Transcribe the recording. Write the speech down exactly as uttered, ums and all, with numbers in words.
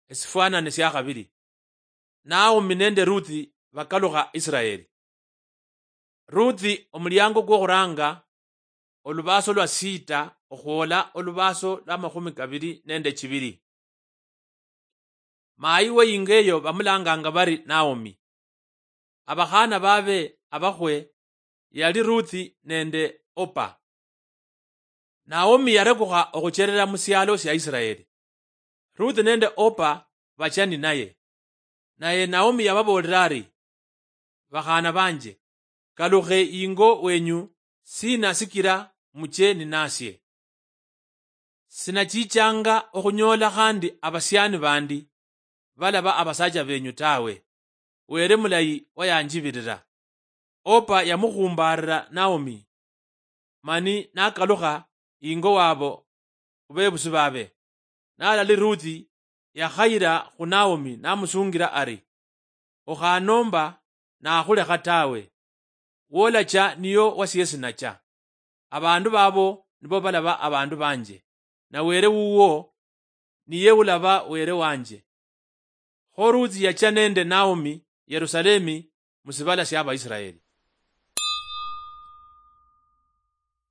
Esifwanane sia khabili. Naomi nende Ruthi bakalukha Israeli. Ruthi, omuliango kwokhuranga, olubaaso lwa sita okhwola olubaaso lwa makhumi kabili nende chibili. Mayi we ingo eyo bamulanganga bari Naomi. Abakhana babe abakhwe yali Ruthi nende Opa. Naomi yarekukha okhucherera mu sialo sia Israeli. Ruthi nende Opa bacha ninaye. Naye Naomi yababoolera ari, "Bakhaana banje, kalukhe ingo wenyu, sina sikira muche ninasie? Sinachichanga okhunyoola khandi abasiani bandi balaba abasacha benyu tawe. Were mulayi wayanjibirira." Opa yamukhumbaarira Naomi, mani nakalukha ingo wabo khubebusi babe. Nalali Ruthi yakhayira khu Naomi namusungira ari, "Okhanomba nakhulekha tawe. Wolacha niyo wasiesi nacha. Abandu babo nibo balaba abandu banje, na Were wuwo niye ulaba Were wanje." Kho Ruthi yacha nende Naomi Yerusalemi mu sibala sia Abaisraeli.